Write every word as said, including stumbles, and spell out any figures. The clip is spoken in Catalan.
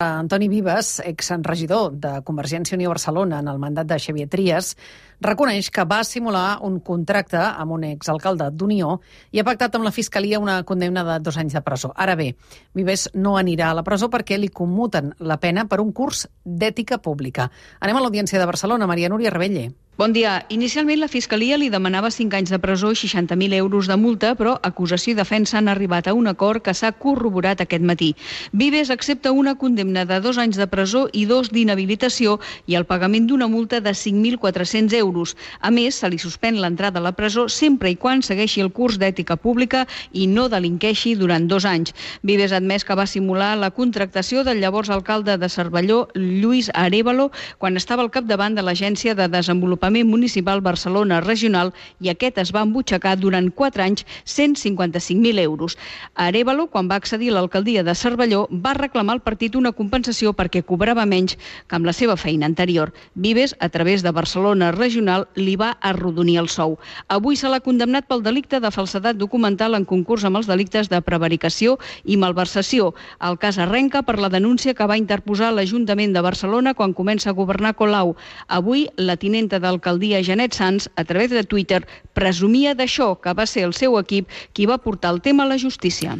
Antoni Vives, exregidor de Convergència i Unió Barcelona en el mandat de Xavier Trias, reconeix que va simular un contracte amb un exalcalde d'Unió i ha pactat amb la Fiscalia una condemna de dos anys de presó. Ara bé, Vives no anirà a la presó perquè li commuten la pena per un curs d'ètica pública. Anem a l'Audiència de Barcelona. Maria Núria Rebelle. Bon dia. Inicialment la Fiscalia li demanava cinc anys de presó i seixanta mil euros de multa, però acusació i defensa han arribat a un acord que s'ha corroborat aquest matí. Vives accepta una condemna de dos anys de presó i dos d'inhabilitació i el pagament d'una multa de cinc mil quatre-cents euros. A més, se li suspèn l'entrada a la presó sempre i quan segueixi el curs d'ètica pública i no delinqueixi durant dos anys. Vives ha admès que va simular la contractació del llavors alcalde de Cervelló, Lluís Arévalo, quan estava al capdavant de l'Agència de Desenvolupament Municipal Barcelona Regional, i aquest es va embutxacar durant quatre anys cent cinquanta-cinc mil euros. Arévalo, quan va accedir a l'alcaldia de Cervelló, va reclamar al partit una compensació perquè cobrava menys que amb la seva feina anterior. Vives, a través de Barcelona Regional, li va arrodonir el sou. Avui se l'ha condemnat pel delicte de falsedat documental en concurs amb els delictes de prevaricació i malversació. El cas arrenca per la denúncia que va interposar l'Ajuntament de Barcelona quan comença a governar Colau. Avui, la tinenta del l'alcaldia Janet Sans, a través de Twitter, presumia d'això, que va ser el seu equip qui va portar el tema a la justícia.